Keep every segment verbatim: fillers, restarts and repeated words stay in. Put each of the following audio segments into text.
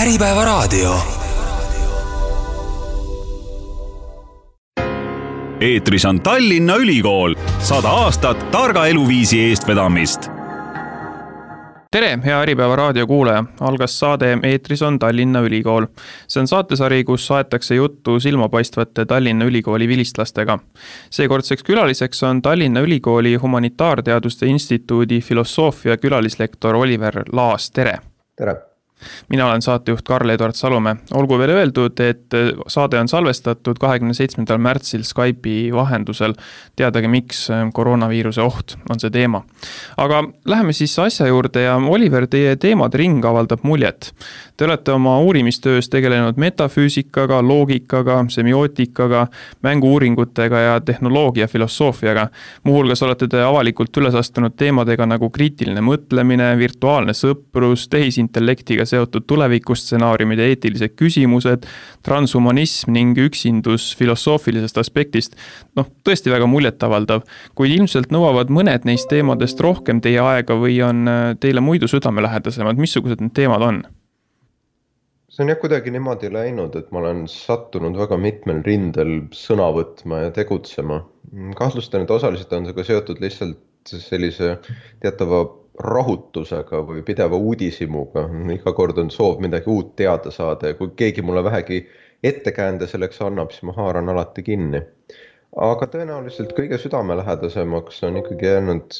Äripäevaraadio. Eetris on Tallinna Ülikool, sada aastat targa eluviisi eestvedamist. Tere, hea Äripäeva raadio kuulaja. Algas saade Eetris on Tallinna Ülikool. See on saatesari, kus saetakse juttu silmapaistvate Tallinna Ülikooli vilistlastega. Seekordseks külaliseks on Tallinna Ülikooli Humanitaarteaduste Instituudi filosoofia külalislektor Oliver Laas. Tere! Tere! Mina olen saatejuht Karl-Eduard Salumäe. Olgu veel öeldud, et saade on salvestatud kahekümne seitsmendal märtsil Skype'i vahendusel. Teadagi, miks koroonaviiruse oht on see teema. Aga läheme siis asja juurde ja Oliver, teie teemade ring avaldab muljet. Te olete oma uurimistöös tegelenud metafüüsikaga, loogikaga, semiootikaga, mängu-uuringutega ja tehnoloogia filosoofiaga. Muuhulgas olete te avalikult üles astunud teemadega nagu kriitiline mõtlemine, virtuaalne sõprus, tehisintellektiga seotud tulevikustsenaariumide eetilised küsimused, transhumanism ning üksindus filosoofilisest aspektist. Noh, tõesti väga muljetavaldav, kuid ilmselt nõuavad mõned neist teemadest rohkem teie aega või on teile muidu südamelähedasemad. Missugused need teemad on? See on jah kuidagi niimoodi läinud, et ma olen sattunud väga mitmel rindel sõna võtma ja tegutsema. Kahtlustan, et osaliselt on see ka seotud lihtsalt sellise teatava rahutusega või pideva uudishimuga. Iga kord on soov midagi uut teada saada ja kui keegi mulle vähegi ettekäände selleks annab, siis ma haaran alati kinni. Aga tõenäoliselt kõige südamelähedasemaks on ikkagi jäänud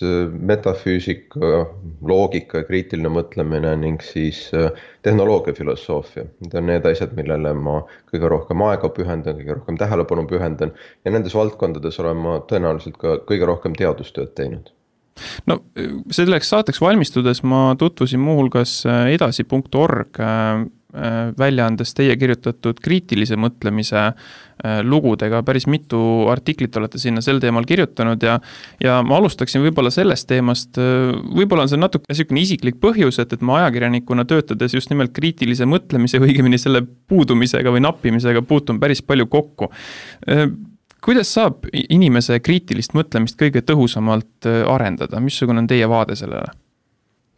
metafüüsika, loogika ja kriitiline mõtlemine ning siis tehnoloogia filosoofia. Need on need asjad, millele ma kõige rohkem aega pühendan, kõige rohkem tähelepanu pühendan ja nendes valdkondades olen ma tõenäoliselt ka kõige rohkem teadustööd teinud. No, selleks saateks valmistudes ma tutvusin muuhulgas edasi punkt org väljaandes teie kirjutatud kriitilise mõtlemise lugudega. Päris mitu artiklit olete sinna sel teemal kirjutanud ja, ja ma alustaksin võib-olla sellest teemast. Võib-olla on see natuke niisugune isiklik põhjus, et, et ma ajakirjanikuna töötades just nimelt kriitilise mõtlemise või õigemini selle puudumisega või nappimisega puutun päris palju kokku. Kuidas saab inimese kriitilist mõtlemist kõige tõhusamalt arendada? Missugune on teie vaade sellele?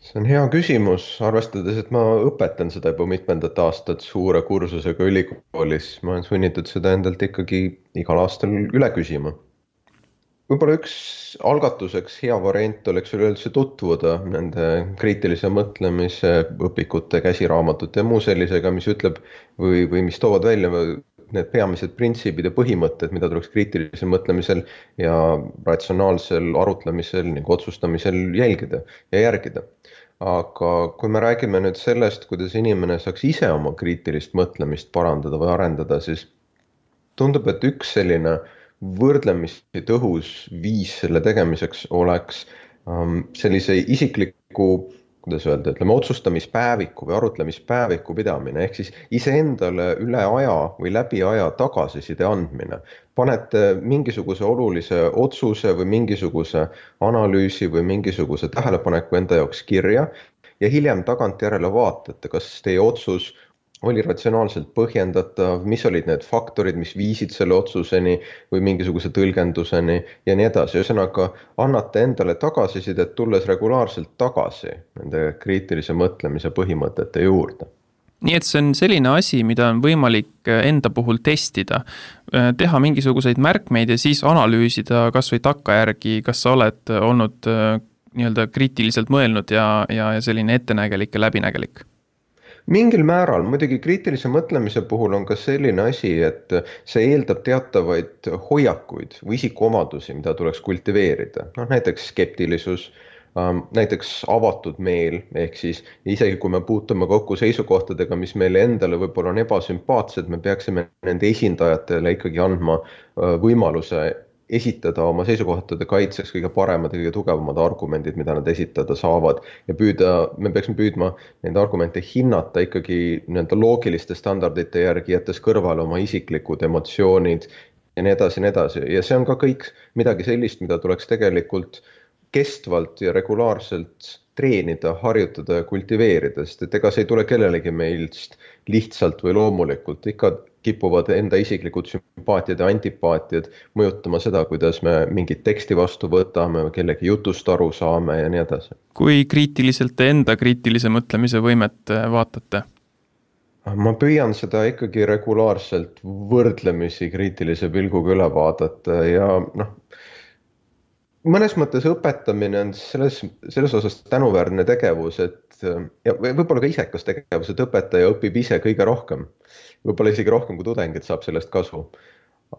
See on hea küsimus, arvestades, et ma õpetan seda juba mitmendat aastat suure kursusega ülikoolis. Ma olen sunnitud seda endalt ikkagi igal aastal üle küsima. Võib-olla üks algatuseks hea variant oleks üleüldse tutvuda nende kriitilise mõtlemise õpikute, käsiraamatute ja muu sellisega, mis ütleb või, või mis toovad välja need peamised printsiibid ja põhimõtted, mida tuleks kriitilisel mõtlemisel ja ratsionaalsel arutlemisel ning otsustamisel jälgida ja järgida. Aga kui me räägime nüüd sellest, kuidas inimene saaks ise oma kriitilist mõtlemist parandada või arendada, siis tundub, et üks selline võrdlemisi tõhus viis selle tegemiseks oleks sellise isikliku kuidas öelda, ütleme, otsustamispäeviku või arutlemispäeviku pidamine, ehk siis iseendale üle aja või läbi aja tagasiside andmine. Panete mingisuguse olulise otsuse või mingisuguse analüüsi või mingisuguse tähelepaneku enda jaoks kirja ja hiljem tagantjärele vaatate, kas teie otsus oli ratsionaalselt põhjendatav, mis olid need faktorid, mis viisid selle otsuseni või mingisuguse tõlgenduseni ja nii edasi. Ühesõnaga, annate endale tagasisidet, tulles regulaarselt tagasi nende kriitilise mõtlemise põhimõtete juurde. Nii et see on selline asi, mida on võimalik enda puhul testida, teha mingisuguseid märkmeid ja siis analüüsida kas või takkajärgi, kas sa oled olnud nii-öelda kriitiliselt mõelnud ja, ja selline ettenägelik ja läbinägelik. Mingil määral, muidugi kriitilise mõtlemise puhul on ka selline asi, et see eeldab teatavaid hoiakuid või isikuomadusi, mida tuleks kultiveerida. No, näiteks skeptilisus, näiteks avatud meel, ehk siis isegi kui me puutume kokku seisukohtadega, mis meile endale võib-olla on ebasümpaatsed, me peaksime nende esindajatele ikkagi andma võimaluse esitada oma seisukohtade kaitseks kõige paremad ja kõige tugevamad argumendid, mida nad esitada saavad ja püüda, me peaksime püüdma neid argumente hinnata ikkagi nii-öelda loogiliste standardite järgi, jättes kõrvale oma isiklikud emotsioonid ja nii edasi, nii edasi. Ja see on ka kõik midagi sellist, mida tuleks tegelikult kestvalt ja regulaarselt treenida, harjutada ja kultiveerida, sest et ega see ei tule kellelegi meilst lihtsalt või loomulikult, ikka kipuvad enda isiklikud sümpaatiad ja antipaatiad mõjutama seda, kuidas me mingit teksti vastu võtame, kellegi jutust aru saame ja nii edasi. Kui kriitiliselt te enda kriitilise mõtlemise võimet vaatate? ma püüan seda ikkagi regulaarselt võrdlemisi kriitilise pilguga üle vaadata ja noh, mõnes mõttes õpetamine on selles, selles osas tänuväärne tegevus, et ja võib-olla ka isekas tegevus, et õpetaja õpib ise kõige rohkem. Võib-olla isegi rohkem kui tudengid saab sellest kasu.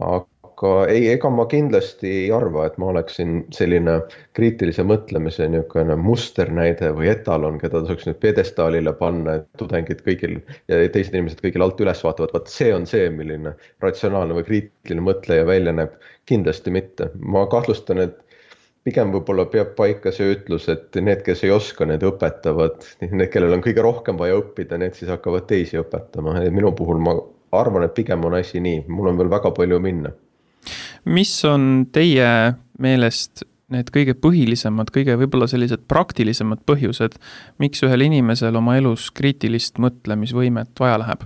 Aga ei, ega ma kindlasti ei arva, et ma oleksin selline kriitilise mõtlemise niisugune musternäide või etalon, keda tasuks nüüd pjedestaalile panna, et tudengid kõigil ja teised inimesed kõigil alt üles vaatavad, vaat see on see, milline ratsionaalne või kriitiline mõtleja välja näeb. Kindlasti mitte. Ma kahtlustan, et pigem võib-olla peab paika see ütlus, et need, kes ei oska, need õpetavad, need, kellel on kõige rohkem vaja õppida, need siis hakkavad teisi õpetama. Minu puhul ma arvan, et pigem on asi nii, mul on veel väga palju minna. Mis on teie meelest need kõige põhilisemad, kõige võib-olla sellised praktilisemad põhjused, miks ühel inimesel oma elus kriitilist mõtlemisvõimet vaja läheb?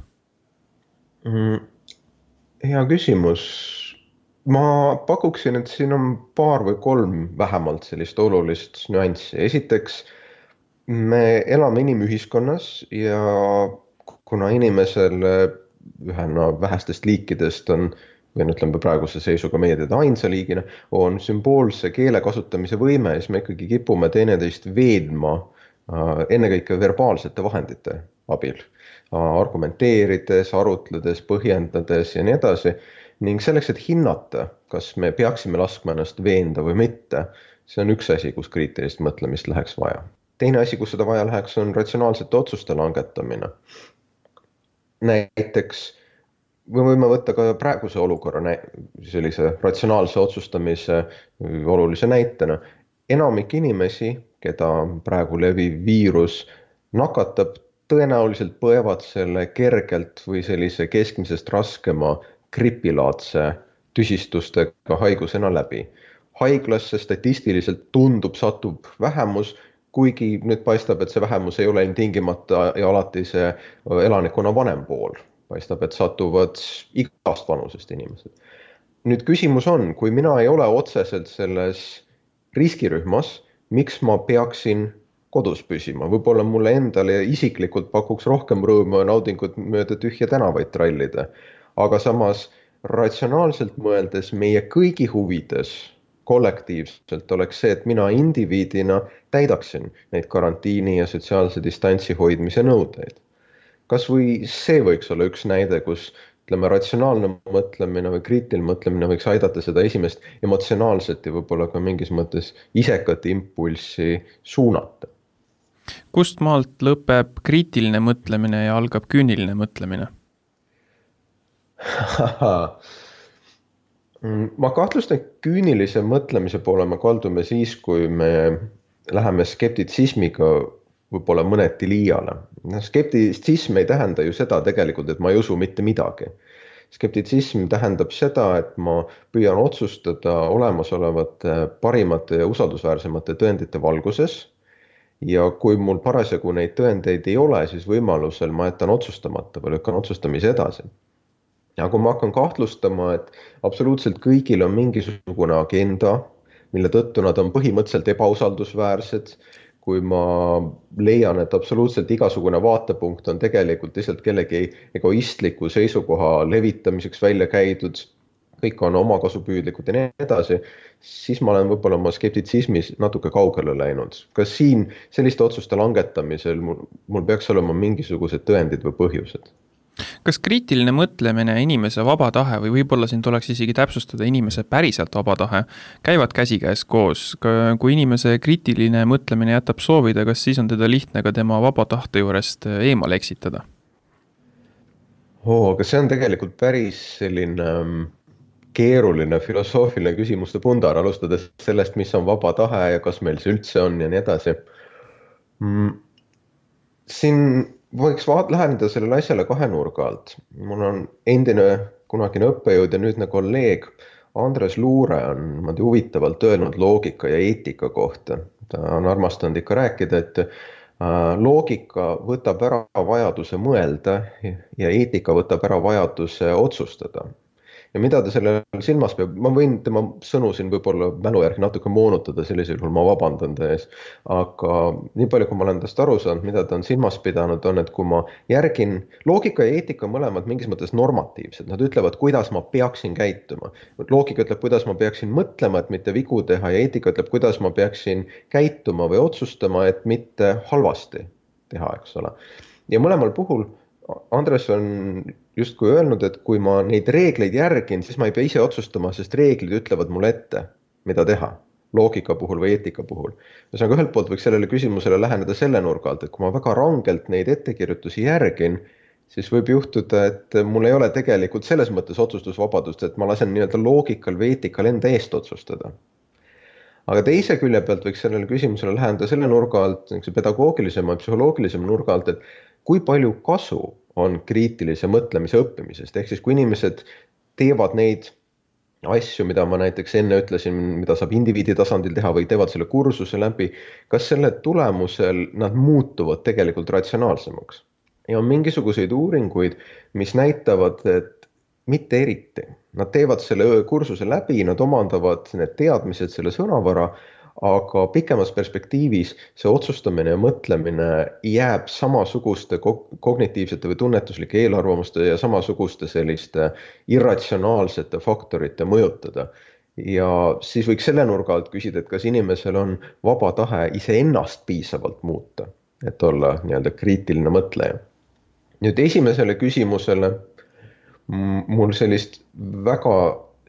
Mm, hea küsimus. Ma pakuksin, et siin on paar või kolm vähemalt sellist olulist nüanssi. Esiteks, me elame inimühiskonnas ja kuna inimesel ühena vähestest liikidest on, või ütleme praeguse seisuga meie teda ainsa liigina, on sümboolse keele kasutamise võime, siis me ikkagi kipume teineteist veedma ennekõike verbaalsete vahendite abil, argumenteerides, arutledes, põhjendades ja nii edasi. Ning selleks, et hinnata, kas me peaksime laskma ennast veenda või mitte, see on üks asi, kus kriitilist mõtlemist läheks vaja. Teine asi, kus seda vaja läheks, on ratsionaalsete otsuste langetamine. Näiteks me võime võtta ka praeguse olukorra sellise ratsionaalse otsustamise olulise näitena. Enamik inimesi, keda praegu leviv viirus nakatab, tõenäoliselt põevad selle kergelt või sellise keskmisest raskema gripilaadse tüsistustega haigusena läbi. Haiglasse statistiliselt tundub, satub vähemus, kuigi nüüd paistab, et see vähemus ei ole tingimata ja alati see elanikkonna vanem pool. Paistab, et satuvad igast vanusest inimesed. Nüüd küsimus on, kui mina ei ole otseselt selles riskirühmas, miks ma peaksin kodus püsima? Võib-olla mulle endale isiklikult pakuks rohkem rõõmu ja naudingut mööda tühja tänavaid trallida. Aga samas ratsionaalselt mõeldes meie kõigi huvides kollektiivselt oleks see, et mina indiviidina täidaksin neid karantiini ja sotsiaalse distantsi hoidmise nõudeid. Kas või see võiks olla üks näide, kus ütleme, ratsionaalne mõtlemine või kriitiline mõtlemine võiks aidata seda esimest emotsionaalset ja võib-olla ka mingis mõttes isekat impulssi suunata. Kust maalt lõpeb kriitiline mõtlemine ja algab küüniline mõtlemine? Ma kahtlustan, et küünilise mõtlemise poole me kaldume siis, kui me läheme skeptitsismiga võib-olla mõneti liiale. Skeptitsism ei tähenda ju seda tegelikult, et ma ei usu mitte midagi. Skeptitsism tähendab seda, et ma püüan otsustada olemasolevate parimate ja usaldusväärsemate tõendite valguses ja kui mul parasjagu neid tõendeid ei ole, siis võimalusel ma jätan otsustamata või lükkan otsustamise edasi. Ja kui ma hakkan kahtlustama, et absoluutselt kõigil on mingisugune agenda, mille tõttu nad on põhimõtteliselt ebausaldusväärsed, kui ma leian, et absoluutselt igasugune vaatepunkt on tegelikult lihtsalt kellegi egoistliku seisukoha levitamiseks välja käidud, kõik on omakasupüüdlikud ja nii edasi, siis ma olen võib-olla oma skeptitsismis natuke kaugele läinud. Kas siin selliste otsuste langetamisel mul, mul peaks olema mingisugused tõendid või põhjused? Kas kriitiline mõtlemine, inimese vaba tahe või võib-olla siin tuleks isegi täpsustada inimese päriselt vaba tahe, käivad käsikäes koos? Kui inimese kriitiline mõtlemine jätab soovida, kas siis on teda lihtne ka tema vaba tahte juurest eemale eksitada? Oo, aga see on tegelikult päris selline keeruline filosoofiline küsimuste pundar, alustades sellest, mis on vaba tahe ja kas meil see üldse on ja nii edasi. Siin võiks vaat läheneda sellele asjale kahe nurga alt. Mul on endine kunagine õppejõud ja nüüdne kolleeg Andres Luure on niimoodi huvitavalt öelnud loogika ja eetika kohta. Ta on armastanud ikka rääkida, et loogika võtab ära vajaduse mõelda ja eetika võtab ära vajaduse otsustada. ja mida ta selle silmas peab, ma võin tema sõnu siin võib-olla mälu järgi natuke moonutada, sellisel juhul ma vabandan ta ees. Aga nii palju, kui ma olen tast aru saanud, mida ta on silmas pidanud, on, et kui ma järgin, loogika ja eetika mõlemad mingis mõttes normatiivsed, nad ütlevad, kuidas ma peaksin käituma. Loogika ütleb, kuidas ma peaksin mõtlema, et mitte vigu teha, ja eetika ütleb, kuidas ma peaksin käituma või otsustama, et mitte halvasti teha, eks ole. Ja mõlemal puhul Andres on justkui öelnud, et kui ma neid reegleid järgin, siis ma ei pea ise otsustama, sest reeglid ütlevad mulle ette, mida teha, loogika puhul või eetika puhul. Ühesõnaga, ühelt poolt võiks sellele küsimusele läheneda selle nurga alt, et kui ma väga rangelt neid ettekirjutusi järgin, siis võib juhtuda, et mul ei ole tegelikult selles mõttes otsustusvabadust, et ma lasen nii-öelda loogikal või eetikal enda eest otsustada. Aga teise külje pealt võiks sellele küsimusele läheneda selle nurga alt, pedagoogilisema ja psühholoogilisema nurga alt, et kui palju kasu on kriitilise mõtlemise õppimisest, ehk siis kui inimesed teevad neid asju, mida ma näiteks enne ütlesin, mida saab indiviidi tasandil teha või teevad selle kursuse läbi, kas selle tulemusel nad muutuvad tegelikult ratsionaalsemaks? Ja on mingisuguseid uuringuid, mis näitavad, et mitte eriti. Nad teevad selle kursuse läbi, nad omandavad need teadmised, selle sõnavara, aga pikemas perspektiivis see otsustamine ja mõtlemine jääb samasuguste kognitiivsete või tunnetuslike eelarvamuste ja samasuguste selliste irratsionaalsete faktorite mõjutada. Ja siis võiks selle nurga alt küsida, et kas inimesel on vaba tahe iseennast piisavalt muuta, et olla nii-öelda kriitiline mõtleja. Nüüd esimesele küsimusele mul sellist väga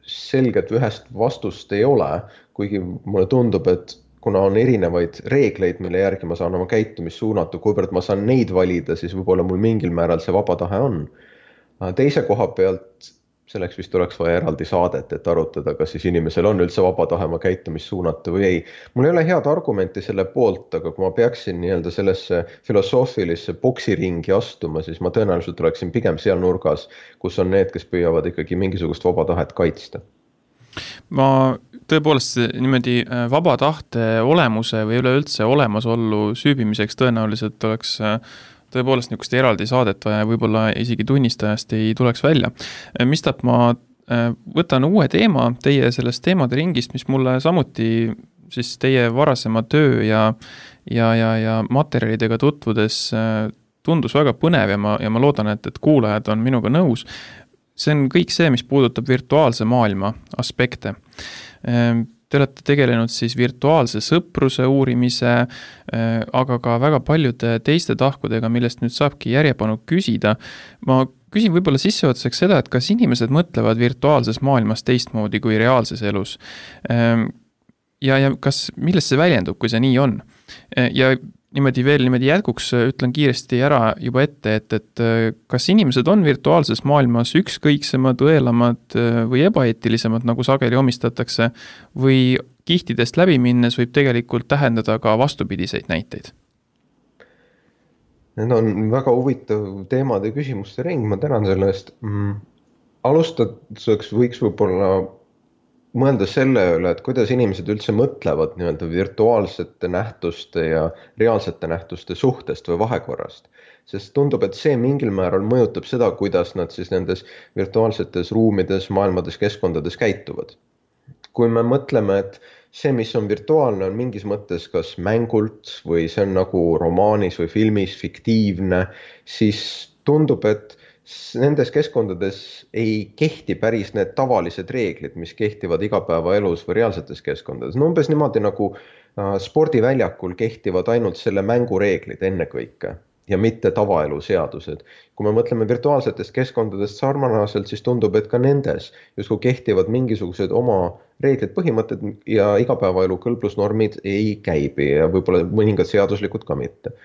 selget ühest vastust ei ole, kuigi mulle tundub, et kuna on erinevaid reegleid, mille järgi ma saan oma käitumist suunata, kuivõrd ma saan neid valida, siis võib-olla mul mingil määral see vaba tahe on. Teise koha pealt selleks vist oleks vaja eraldi saadet, et arutada, kas siis inimesel on üldse vaba tahe oma käitumist suunata või ei. Mul ei ole head argumenti selle poolt, aga kui ma peaksin nii-öelda sellesse filosoofilisse boksiringi astuma, siis ma tõenäoliselt oleksin pigem seal nurgas, kus on need, kes püüavad ikkagi mingisugust vaba tahet kaitsta. Ma tõepoolest niimoodi vaba tahte olemuse või üleüldse olemasollu süübimiseks tõenäoliselt oleks tõepoolest niisugust eraldi saadet vaja, võib-olla isegi tunnistajast ei tuleks välja. Mistap ma võtan uue teema teie sellest teemade ringist, mis mulle samuti siis teie varasema töö ja, ja, ja, ja materjalidega tutvudes tundus väga põnev ja ma, ja ma loodan, et, et kuulajad on minuga nõus. See on kõik see, mis puudutab virtuaalse maailma aspekte. Te olete tegelenud siis virtuaalse sõpruse uurimise, aga ka väga paljude teiste tahkudega, millest nüüd saabki järjepanu küsida. Ma küsin võib-olla sisseotseks seda, et kas inimesed mõtlevad virtuaalses maailmas teistmoodi kui reaalses elus. Ja, ja kas, millest see väljendub, kui see nii on? Ja niimoodi veel niimoodi jätkuks ütlen kiiresti ära juba ette, et, et kas inimesed on virtuaalses maailmas ükskõiksemad, õelamad või ebaeetilisemad, nagu sageli omistatakse, või kihtidest läbi minnes võib tegelikult tähendada ka vastupidiseid näiteid? Need on väga huvitav teemade küsimuste ring, ma tänan selle eest. Alustuseks võiks võib-olla mõelda selle üle, et kuidas inimesed üldse mõtlevad nii-öelda virtuaalsete nähtuste ja reaalsete nähtuste suhtest või vahekorrast. Sest tundub, et see mingil määral mõjutab seda, kuidas nad siis nendes virtuaalsetes ruumides, maailmades, keskkondades käituvad. Kui me mõtleme, et see, mis on virtuaalne, on mingis mõttes kas mängult või see on nagu romaanis või filmis fiktiivne, siis tundub, et nendes keskkondades ei kehti päris need tavalised reeglid, mis kehtivad igapäevaelus või reaalsetes keskkondades. No umbes niimoodi nagu spordiväljakul kehtivad ainult selle mängureeglid ennekõike ja mitte tavaelu seadused. Kui me mõtleme virtuaalsetest keskkondadest sarnaselt, siis tundub, et ka nendes justkui kehtivad mingisugused oma reeglid, põhimõtted ja igapäevaelu kõlblusnormid ei käibi ja võib-olla mõningad seaduslikud ka mitte.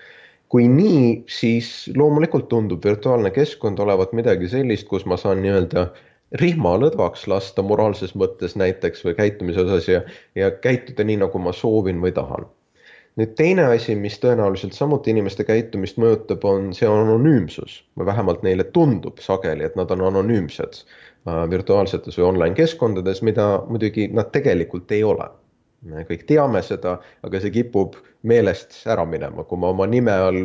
Kui nii, siis loomulikult tundub virtuaalne keskkond olevat midagi sellist, kus ma saan nii-öelda rihma lõdvaks lasta moraalses mõttes näiteks või käitumise osas ja, ja käituda nii, nagu ma soovin või tahan. Nüüd teine asi, mis tõenäoliselt samuti inimeste käitumist mõjutab, on see anonüümsus. Või vähemalt neile tundub sageli, et nad on anonüümsed virtuaalsetes või online keskkondades, mida muidugi nad tegelikult ei ole. Me kõik teame seda, aga see kipub meelest ära minema. Kui ma oma nime all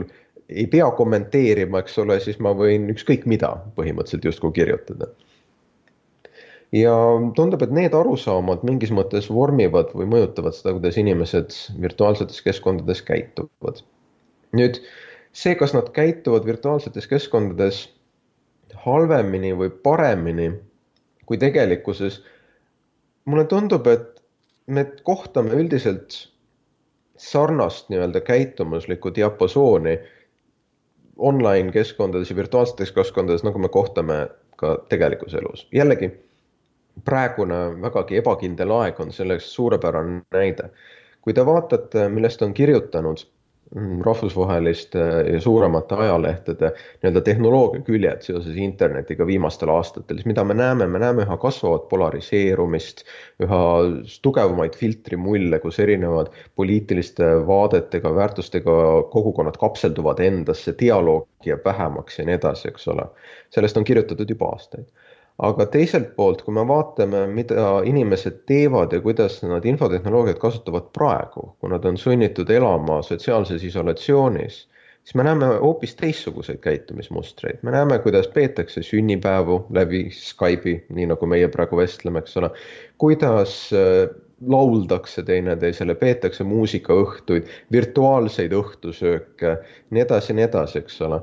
ei pea kommenteerima, eks ole, siis ma võin ükskõik mida põhimõtteliselt justkui kirjutada. ja tundub, et need arusaamad mingis mõttes vormivad või mõjutavad seda, kuidas inimesed virtuaalsetes keskkondades käituvad. Nüüd see, kas nad käituvad virtuaalsetes keskkondades halvemini või paremini kui tegelikkuses, mulle tundub, et me kohtame üldiselt sarnast nii-öelda käitumuslikku diapasooni online keskkondades ja virtuaalsetes keskkondades, nagu me kohtame ka tegelikus elus. Jällegi, praegune vägagi ebakindel aeg on selleks suurepärane näide. Kui te vaatate, millest on kirjutanud rahvusvaheliste ja suuremate ajalehtede nii-öelda tehnoloogia küljed seoses internetiga viimastel aastatel, siis mida me näeme, me näeme üha kasvavat polariseerumist, üha tugevamaid filtrimulle, kus erinevad poliitiliste vaadetega, väärtustega kogukonnad kapselduvad endasse, dialoog jääb vähemaks ja nii edasi, eks ole. Sellest on kirjutatud juba aastaid. Aga teiselt poolt, kui me vaatame, mida inimesed teevad ja kuidas nad infotehnoloogiat kasutavad praegu, kui nad on sunnitud elama sotsiaalses isolatsioonis, siis me näeme hoopis teistsuguseid käitumismustreid. Me näeme, kuidas peetakse sünnipäevu läbi Skype'i, nii nagu meie praegu vestleme, eks ole, kuidas lauldakse teineteisele, peetakse muusikaõhtuid, virtuaalseid õhtusööke, nii edasi, nii edasi, eks ole.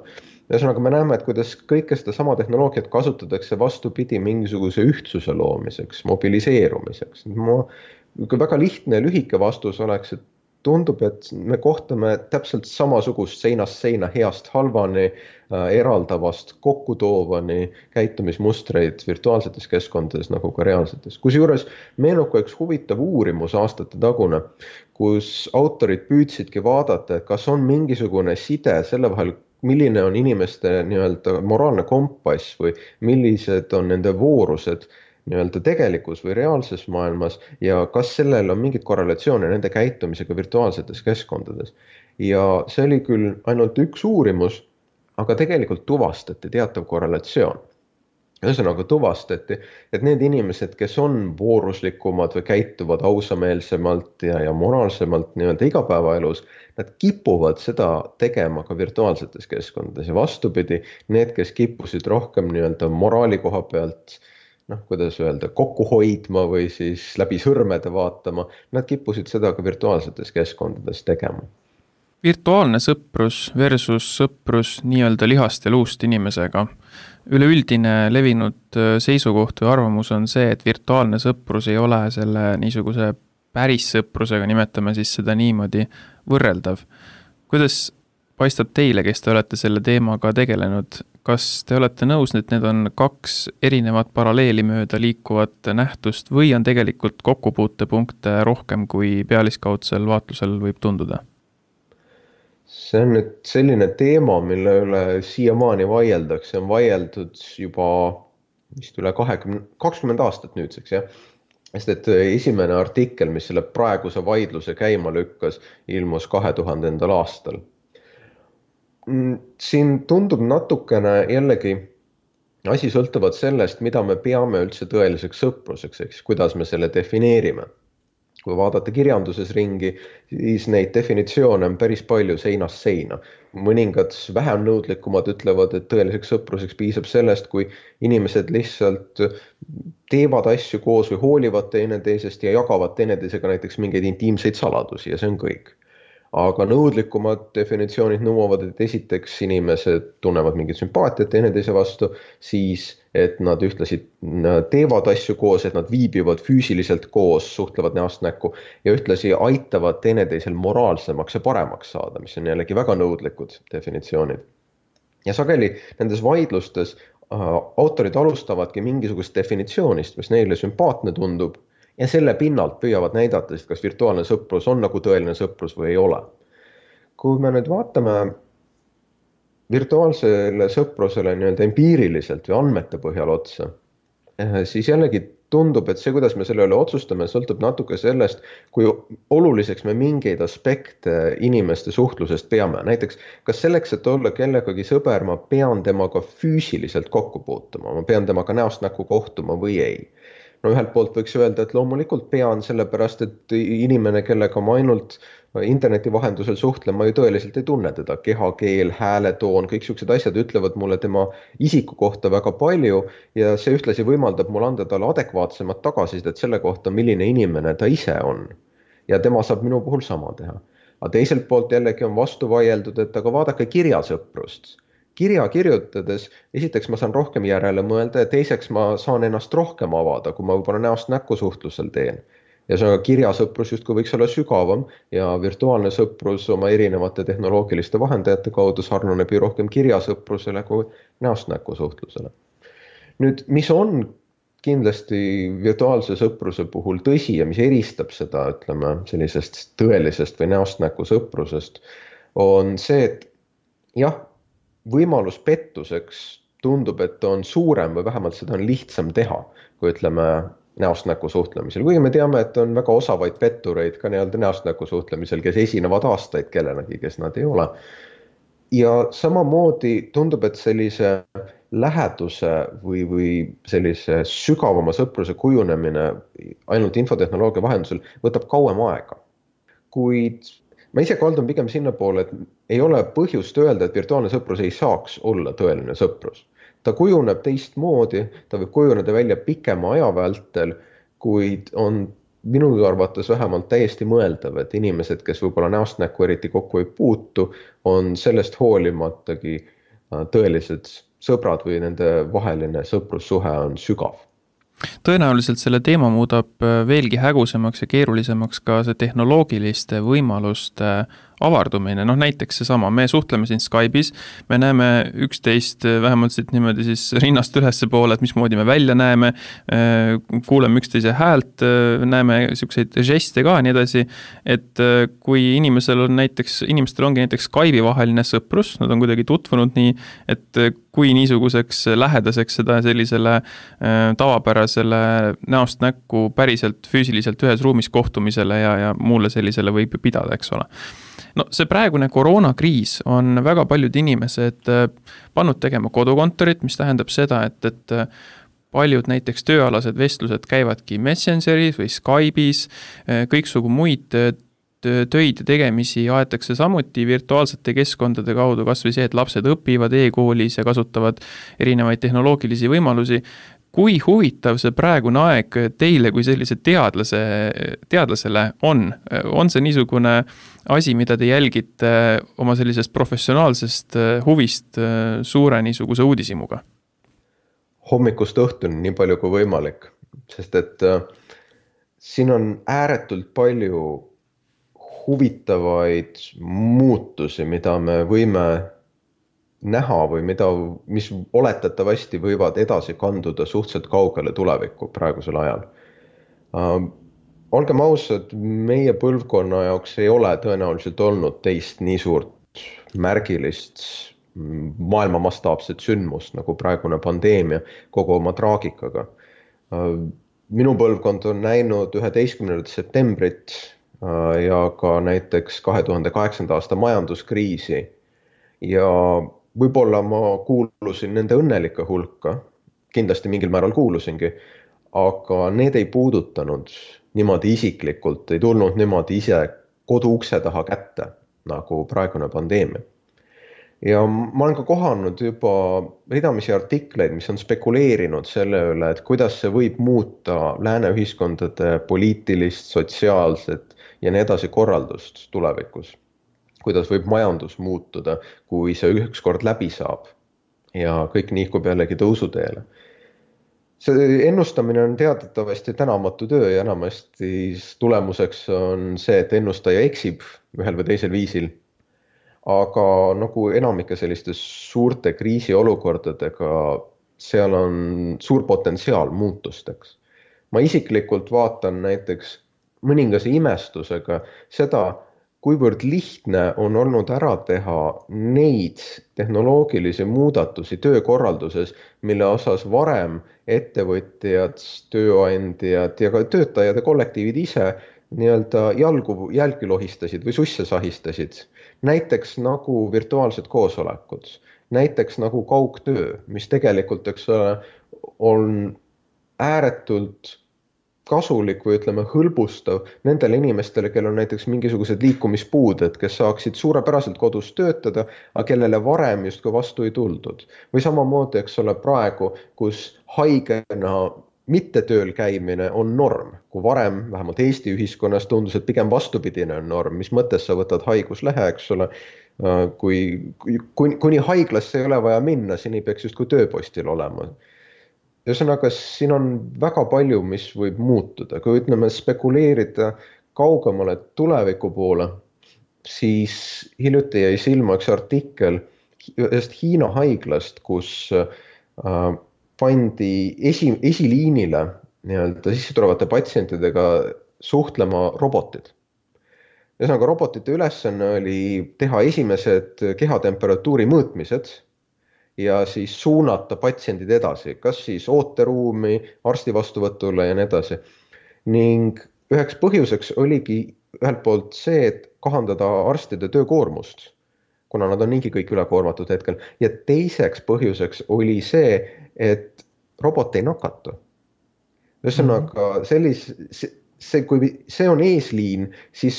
Ühesõnaga me näeme, et kuidas kõike seda sama tehnoloogiat kasutatakse vastupidi mingisuguse ühtsuse loomiseks, mobiliseerumiseks. Ma, väga lihtne ja lühike vastus oleks, et tundub, et me kohtame täpselt samasugust seinast seina heast halvani, äh, eraldavast kokkutoovani käitumismustreid virtuaalsetes keskkondades nagu ka reaalsetes. Kusjuures meenub ka üks huvitav uurimus aastate tagune, kus autorid püüdsidki vaadata, et kas on mingisugune side selle vahel, milline on inimeste nii-öelda moraalne kompass või millised on nende voorused nii-öelda tegelikus või reaalses maailmas ja kas sellel on mingit korrelatsioone nende käitumisega virtuaalsetes keskkondades. Ja see oli küll ainult üks uurimus, aga tegelikult tuvastati teatav korrelatsioon. Ühesõnaga tuvastati, et need inimesed, kes on vooruslikumad või käituvad ausameelsemalt ja, ja moraalsemalt nii-öelda igapäevaelus, nad kipuvad seda tegema ka virtuaalsetes keskkondades ja vastupidi, need, kes kippusid rohkem nii-öelda moraali koha pealt, noh, kuidas öelda, kokku hoidma või siis läbi sõrmede vaatama, nad kippusid seda ka virtuaalsetes keskkondades tegema. Virtuaalne sõprus versus sõprus nii-öelda lihast ja luust inimesega. Üleüldine levinud seisukoht või arvamus on see, et virtuaalne sõprus ei ole selle niisuguse päris sõprusega, nimetame siis seda niimoodi, võrreldav. Kuidas paistab teile, kes te olete selle teemaga tegelenud? Kas te olete nõus, et need on kaks erinevat paralleeli mööda liikuvat nähtust või on tegelikult kokkupuutepunkte rohkem kui pealiskaudsel vaatlusel võib tunduda? See on nüüd selline teema, mille üle siiamaani vaieldakse, on vaieldud juba vist üle kakskümmend, kakskümmend aastat nüüdseks, jah. Sest et esimene artikkel, mis selle praeguse vaidluse käima lükkas, ilmus kahe tuhandendal aastal. Siin tundub natukene jällegi asi sõltuvad sellest, mida me peame üldse tõeliseks sõpruseks, eks, kuidas me selle defineerime. Kui vaadata kirjanduses ringi, siis neid definitsioone on päris palju seinast seina. Mõningad vähem nõudlikumad ütlevad, et tõeliseks sõpruseks piisab sellest, kui inimesed lihtsalt teevad asju koos või hoolivad teineteisest ja jagavad teineteisega näiteks mingeid intiimseid saladusi ja see on kõik. Aga nõudlikumad definitsioonid nõuavad, et esiteks inimesed tunnevad mingit sümpaatiat teineteise vastu, siis et nad ühtlasi teevad asju koos, et nad viibivad füüsiliselt koos, suhtlevad näost näkku ja ühtlasi aitavad teineteisel moraalsemaks ja paremaks saada, mis on jällegi väga nõudlikud definitsioonid. Ja sageli nendes vaidlustes äh, autorid alustavadki mingisugust definitsioonist, mis neile sümpaatne tundub, ja selle pinnalt püüavad näidata, kas virtuaalne sõprus on nagu tõeline sõprus või ei ole. Kui me nüüd vaatame virtuaalsele sõprusele nii-öelda empiiriliselt või andmete põhjal otsa, siis jällegi tundub, et see, kuidas me selle üle otsustame, sõltub natuke sellest, kui oluliseks me mingeid aspekte inimeste suhtlusest peame. Näiteks, kas selleks, et olla kellegagi sõber, ma pean temaga füüsiliselt kokku puutuma, ma pean temaga näost näkku kohtuma või ei. no ühelt poolt võiks öelda, et loomulikult pean, sellepärast et inimene, kellega ma ainult interneti vahendusel suhtlen, ma ju tõeliselt ei tunne teda, kehakeel, hääletoon, kõik siuksed asjad ütlevad mulle tema isiku kohta väga palju ja see ühtlasi võimaldab mul anda talle adekvaatsemat tagasisidet selle kohta, milline inimene ta ise on. Ja tema saab minu puhul sama teha. Aga teiselt poolt jällegi on vastu vaieldud, et aga vaadake kirjasõprust. Kirja kirjutades, esiteks ma saan rohkem järele mõelda ja teiseks ma saan ennast rohkem avada, kui ma võib-olla näost näkku suhtlusel teen. Ja see on kirjasõprus justkui võiks olla sügavam ja virtuaalne sõprus oma erinevate tehnoloogiliste vahendajate kaudu sarnaneb ju rohkem kirjasõprusele kui näost näkku suhtlusele. Nüüd, mis on kindlasti virtuaalse sõpruse puhul tõsi ja mis eristab seda, ütleme, sellisest tõelisest või näost näkku sõprusest, on see, et jah, võimalus pettuseks tundub, et on suurem või vähemalt seda on lihtsam teha, kui ütleme näost näkku suhtlemisel. Või me teame, et on väga osavaid pettureid ka nii-öelda näost näkku suhtlemisel, kes esinevad aastaid kellenagi, kes nad ei ole. Ja samamoodi tundub, et sellise läheduse või, või sellise sügavama sõpruse kujunemine ainult infotehnoloogia vahendusel võtab kauem aega. Kuid ma ise kaldun pigem sinna poole, et ei ole põhjust öelda, et virtuaalne sõprus ei saaks olla tõeline sõprus. Ta kujuneb teistmoodi, ta võib kujuneda välja pikema aja vältel, kuid on minu arvates vähemalt täiesti mõeldav, et inimesed, kes võib-olla näost näkku eriti kokku ei puutu, on sellest hoolimatagi tõelised sõbrad või nende vaheline sõprussuhe on sügav. Tõenäoliselt selle teema muudab veelgi hägusemaks ja keerulisemaks ka see tehnoloogiliste võimaluste avardumine. Noh, näiteks see sama, me suhtleme siin Skype'is, me näeme üksteist vähemalt siit niimoodi siis rinnast ülesse poole, et mismoodi me välja näeme, kuuleme üksteise häält, näeme siukseid žeste ka nii edasi, et kui inimesel on näiteks, inimestel ongi näiteks Skype'i vaheline sõprus, nad on kuidagi tutvunud nii, et kui niisuguseks lähedaseks seda sellisele tavapärasele näost näkku päriselt füüsiliselt ühes ruumis kohtumisele ja, ja muule sellisele võib pidada, eks ole. No see praegune koroonakriis on väga paljud inimesed pannud tegema kodukontorit, mis tähendab seda, et, et paljud näiteks tööalased vestlused käivadki Messengeris või Skype'is, kõiksugu muid töid ja tegemisi aetakse samuti virtuaalsete keskkondade kaudu, kas või see, et lapsed õpivad e-koolis ja kasutavad erinevaid tehnoloogilisi võimalusi. Kui huvitav see praegune aeg teile kui sellise teadlase, teadlasele on? On see niisugune asi, mida te jälgite oma sellisest professionaalsest huvist suure niisuguse uudisimuga? Hommikust õhtuni nii palju kui võimalik, sest et siin on ääretult palju huvitavaid muutusi, mida me võime näha või mida, mis oletatavasti võivad edasi kanduda suhteliselt kaugele tulevikku praegusel ajal. Uh, olgem ausad, meie põlvkonna jaoks ei ole tõenäoliselt olnud teist nii suurt märgilist maailma mastaapset sündmust nagu praegune pandeemia kogu oma traagikaga. Uh, minu põlvkond on näinud üheteistkümnendat septembrit uh, ja ka näiteks kahe tuhande kaheksanda aasta majanduskriisi ja võib-olla ma kuulusin nende õnnelike hulka, kindlasti mingil määral kuulusingi, aga need ei puudutanud niimoodi isiklikult, ei tulnud niimoodi ise kodu ukse taha kätte, nagu praegune pandeemia. Ja ma olen ka kohanud juba ridamisi artikleid, mis on spekuleerinud selle üle, et kuidas see võib muuta lääne ühiskondade poliitilist, sotsiaalset ja nii edasi korraldust tulevikus. Kuidas võib majandus muutuda, kui see ükskord läbi saab ja kõik nihkub jällegi tõusuteele. See ennustamine on teadatavasti tänamatu töö ja enamasti tulemuseks on see, et ennustaja eksib ühel või teisel viisil. Aga nagu enamike selliste suurte kriisiolukordadega, seal on suur potentsiaal muutusteks. Ma isiklikult vaatan näiteks mõningase imestusega seda, kuivõrd lihtne on olnud ära teha neid tehnoloogilisi muudatusi töökorralduses, mille osas varem ettevõtjad, tööandjad ja ka töötajad ja kollektiivid ise nii-öelda jalgu jälgi lohistasid või susse sahistasid. Näiteks nagu virtuaalsed koosolekud, näiteks nagu kaugtöö, mis tegelikult eks ole, on ääretult kasulik või ütleme hõlbustav nendele inimestele, kellel on näiteks mingisugused liikumispuuded, kes saaksid suurepäraselt kodus töötada, aga kellele varem justkui vastu ei tuldud. Või samamoodi, eks ole, praegu, kus haigena mitte tööl käimine on norm, kui varem vähemalt Eesti ühiskonnas tundus, et pigem vastupidine on norm, mis mõttes sa võtad haiguslehe, eks ole, kui, kui kuni haiglasse ei ole vaja minna, siin ei peaks justkui tööpostil olema. Ühesõnaga, siin on väga palju, mis võib muutuda, kui ütleme spekuleerida kaugemale tuleviku poole, siis hiljuti jäi silma üks artikkel ühest Hiina haiglast, kus äh, pandi esi, esiliinile nii-öelda sisse tulevate patsientidega suhtlema robotid. Ühesõnaga, robotite ülesanne oli teha esimesed kehatemperatuuri mõõtmised ja siis suunata patsiendid edasi, kas siis ooteruumi, arsti vastuvõtule ja nii edasi. Ning üheks põhjuseks oligi ühelt poolt see, et kahandada arstide töökoormust, kuna nad on niigi kõik ülekoormatud hetkel. Ja teiseks põhjuseks oli see, et robot ei nakatu. Ühesõnaga, sellis, see, kui see on eesliin, siis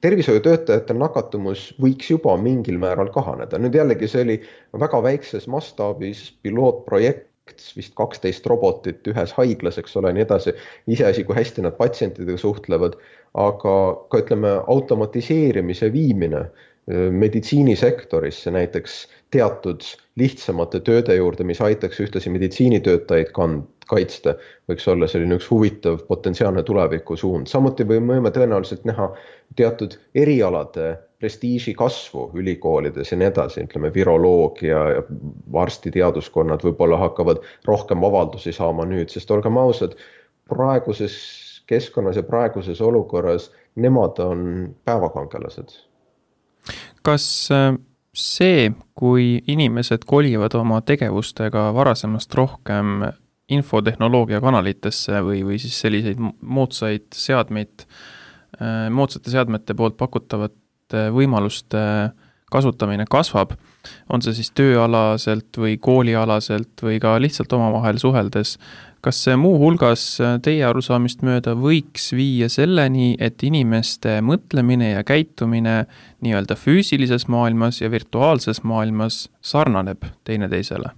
tervishoiutöötajate nakatumus võiks juba mingil määral kahaneda. Nüüd jällegi see oli väga väikses mastaabis pilootprojekt, vist kaksteist robotit ühes haiglas, eks ole, nii edasi. Iseasi, kui hästi nad patsientidega suhtlevad, aga ka ütleme automatiseerimise viimine meditsiinisektorisse näiteks teatud lihtsamate tööde juurde, mis aitaks ühtlasi meditsiinitöötajaid kaitsta, võiks olla selline üks huvitav potentsiaalne tuleviku suund. Samuti võime tõenäoliselt näha teatud erialade prestiiži kasvu ülikoolides ja nii edasi, ütleme viroloogia ja arstiteaduskonnad võib-olla hakkavad rohkem avaldusi saama nüüd, sest olgem ausad, praeguses keskkonnas ja praeguses olukorras nemad on päevakangelased. Kas see, kui inimesed kolivad oma tegevustega varasemast rohkem infotehnoloogia kanalitesse või, või siis selliseid moodsaid seadmeid, moodsate seadmete poolt pakutavate võimaluste kasutamine kasvab, on see siis tööalaselt või koolialaselt või ka lihtsalt omavahel suheldes, kas see muu hulgas teie arusaamist mööda võiks viia selleni, et inimeste mõtlemine ja käitumine nii-öelda füüsilises maailmas ja virtuaalses maailmas sarnaneb teineteisele?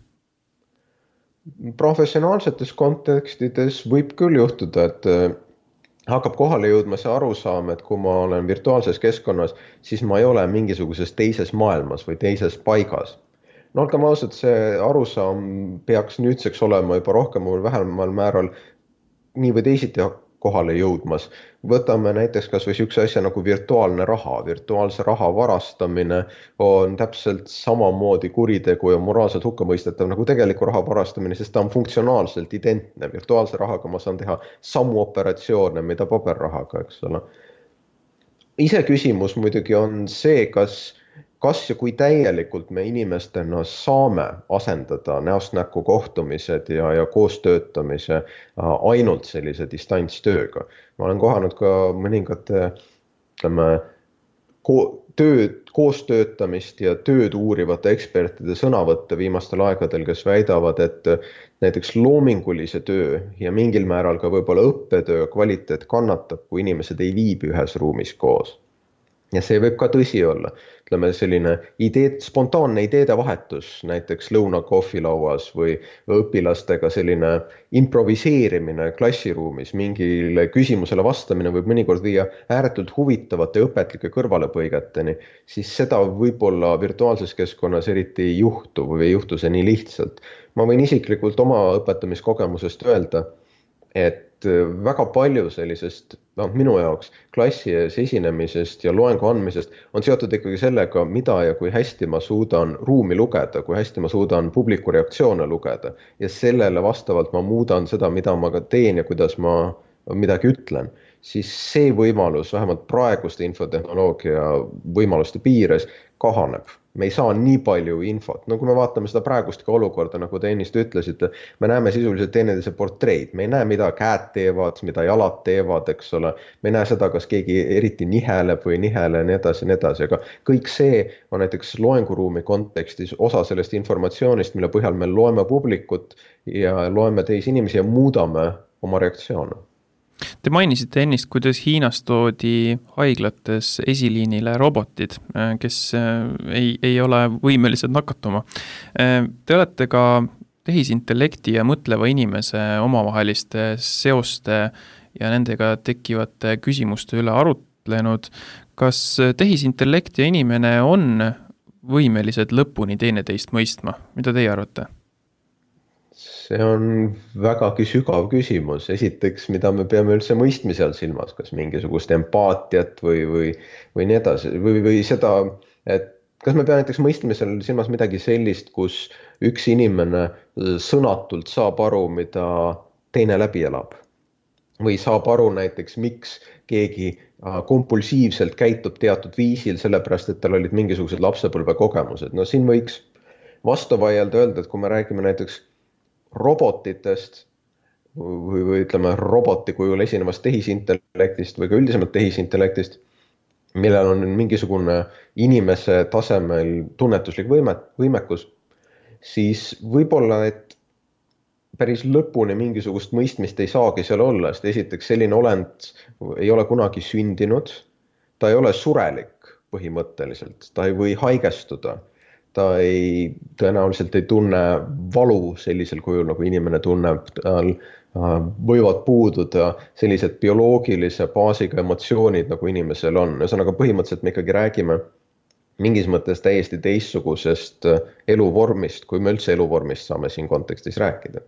Professionaalsetes kontekstides võib küll juhtuda, et hakkab kohale jõudma see arusaam, et kui ma olen virtuaalses keskkonnas, siis ma ei ole mingisuguses teises maailmas või teises paigas. No olgem ausad, see arusaam peaks nüüdseks olema juba rohkem või vähemal määral nii või teisiti kohale jõudmas. Võtame näiteks kas või sihukese asja nagu virtuaalne raha. Virtuaalse raha varastamine on täpselt samamoodi kuritegu ja moraalselt hukkamõistetav nagu tegeliku raha varastamine, sest ta on funktsionaalselt identne. Virtuaalse rahaga ma saan teha samu operatsioone, mida paberrahaga, eks ole. Ise küsimus muidugi on see, kas Kas ja kui täielikult me inimestena saame asendada näost näkku kohtumised ja, ja koostöötamise ainult sellise distantstööga. Ma olen kohanud ka mõningate ütleme, ko- tööd, koostöötamist ja tööd uurivate ekspertide sõnavõtte viimastel aegadel, kes väidavad, et näiteks loomingulise töö ja mingil määral ka võib-olla õppetöö kvaliteet kannatab, kui inimesed ei viibi ühes ruumis koos. Ja see võib ka tõsi olla. Ütleme selline ideed, spontaanne ideede vahetus näiteks lõuna kohvilauas või õpilastega selline improviseerimine klassiruumis, mingile küsimusele vastamine võib mõnikord viia ääretult huvitavate õpetlike kõrvalepõigeteni, siis seda võib-olla virtuaalses keskkonnas eriti ei juhtu või ei juhtu see nii lihtsalt. Ma võin isiklikult oma õpetamiskogemusest öelda, et väga palju sellisest, no, minu jaoks klassi ees esinemisest ja loengu andmisest on seotud ikkagi sellega, mida ja kui hästi ma suudan ruumi lugeda, kui hästi ma suudan publiku reaktsioone lugeda ja sellele vastavalt ma muudan seda, mida ma ka teen ja kuidas ma midagi ütlen, siis see võimalus vähemalt praeguste infotehnoloogia võimaluste piires kahaneb. Me ei saa nii palju infot. No kui me vaatame seda praegust ka olukorda, nagu te ennist ütlesite, me näeme sisuliselt teineteise portreid. Me ei näe, mida käed teevad, mida jalad teevad, eks ole. Me ei näe seda, kas keegi eriti niheleb või nihele ja nii edasi, nii edasi. Aga kõik see on näiteks loenguruumi kontekstis osa sellest informatsioonist, mille põhjal me loeme publikut ja loeme teisi inimesi ja muudame oma reaktsioone. Te mainisite ennist, kuidas Hiinas toodi haiglates esiliinile robotid, kes ei, ei ole võimelised nakatuma. Te olete ka tehisintellekti ja mõtleva inimese omavaheliste seoste ja nendega tekkivate küsimuste üle arutlenud. Kas tehisintellekt ja inimene on võimelised lõpuni teineteist mõistma? Mida teie arvate? See on vägagi sügav küsimus. Esiteks, mida me peame üldse mõistmise all silmas, kas mingisugust empaatiat või, või, või nii edasi, või, või seda, et kas me peame näiteks mõistmisel silmas midagi sellist, kus üks inimene sõnatult saab aru, mida teine läbi elab. Või saab aru näiteks, miks keegi kompulsiivselt käitub teatud viisil, sellepärast, et tal olid mingisugused lapsepõlve kogemused. No siin võiks vastu vaielda öelda, et kui me räägime näiteks robotitest või, või ütleme roboti kujul esinevast tehisintellektist või ka üldisemalt tehisintellektist, millel on mingisugune inimese tasemel tunnetuslik võime, võimekus, siis võib-olla, et päris lõpuni mingisugust mõistmist ei saagi seal olla, sest esiteks selline olend ei ole kunagi sündinud, ta ei ole surelik põhimõtteliselt, ta ei või haigestuda. Ta ei, tõenäoliselt ei tunne valu sellisel kujul, nagu inimene tunneb, tal võivad puududa sellised bioloogilise baasiga emotsioonid, nagu inimesel on. Ühesõnaga põhimõtteliselt me ikkagi räägime mingis mõttes täiesti teistsugusest eluvormist, kui me üldse eluvormist saame siin kontekstis rääkida.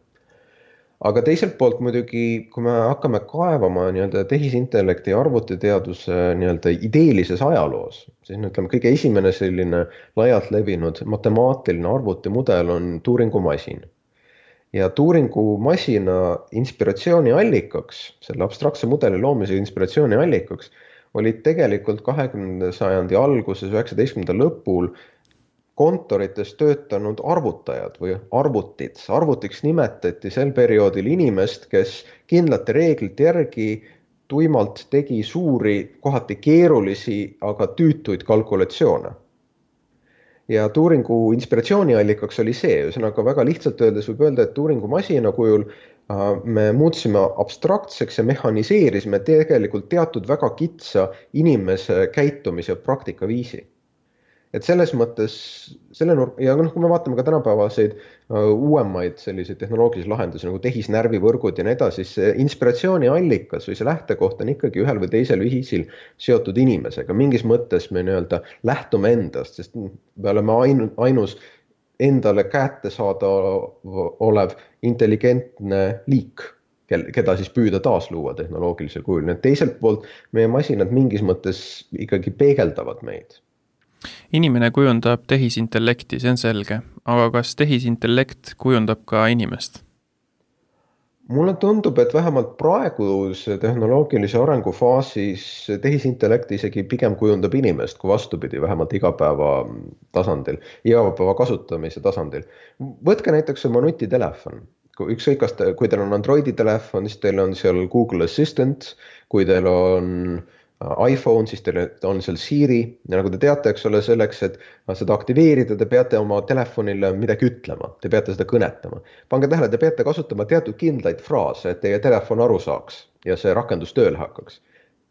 Aga teiselt poolt muidugi, kui me hakkame kaevama nii-öelda tehisintellekti ja arvutiteaduse nii-öelda ideelises ajaloos, siis ütleme, kõige esimene selline laialt levinud matemaatiline arvutimudel on Turingu masin. Ja Turingu masina inspiratsiooni allikaks, selle abstraktse mudeli loomise inspiratsiooni allikaks, olid tegelikult kahekümnenda sajandi alguses, üheksateistkümnenda lõpul kontorites töötanud arvutajad või arvutid. Arvutiks nimetati sel perioodil inimest, kes kindlate reeglite järgi tuimalt tegi suuri, kohati keerulisi, aga tüütuid kalkulatsioone. Ja Turingu inspiratsiooniallikaks oli see, ühesõnaga väga lihtsalt öeldes võib öelda, et Turingu masina kujul me muutsime abstraktseks ja mehhaniseerisime tegelikult teatud väga kitsa inimese käitumise praktika viisi. Et selles mõttes, selle nurk, ja kui me vaatame ka tänapäevaseid uuemaid selliseid tehnoloogilisi lahendusi nagu tehisnärvivõrgud ja nii edasi, siis see inspiratsiooni allikas või see lähtekoht on ikkagi ühel või teisel viisil seotud inimesega. Mingis mõttes me nii-öelda lähtume endast, sest me oleme ainus endale kätte saada olev intelligentne liik, keda siis püüda taas luua tehnoloogilisel kujul. Need teiselt poolt meie masinad mingis mõttes ikkagi peegeldavad meid. Inimene kujundab tehisintellekti, see on selge, aga kas tehisintellekt kujundab ka inimest? Mulle tundub, et vähemalt praeguse tehnoloogilise arengufaasis tehisintellekt isegi pigem kujundab inimest, kui vastupidi, vähemalt igapäeva tasandil, igapäeva kasutamise tasandil. Võtke näiteks oma nutitelefon. Ükskõik, kas te, kui teil on Androidi telefon, siis teil on seal Google Assistant, kui teil on iPhone, siis teil on seal Siri ja nagu te teate, eks ole, selleks, et seda aktiveerida, te peate oma telefonile midagi ütlema, te peate seda kõnetama. Pange tähele, te peate kasutama teatud kindlaid fraase, et teie telefon aru saaks ja see rakendus tööle hakkaks.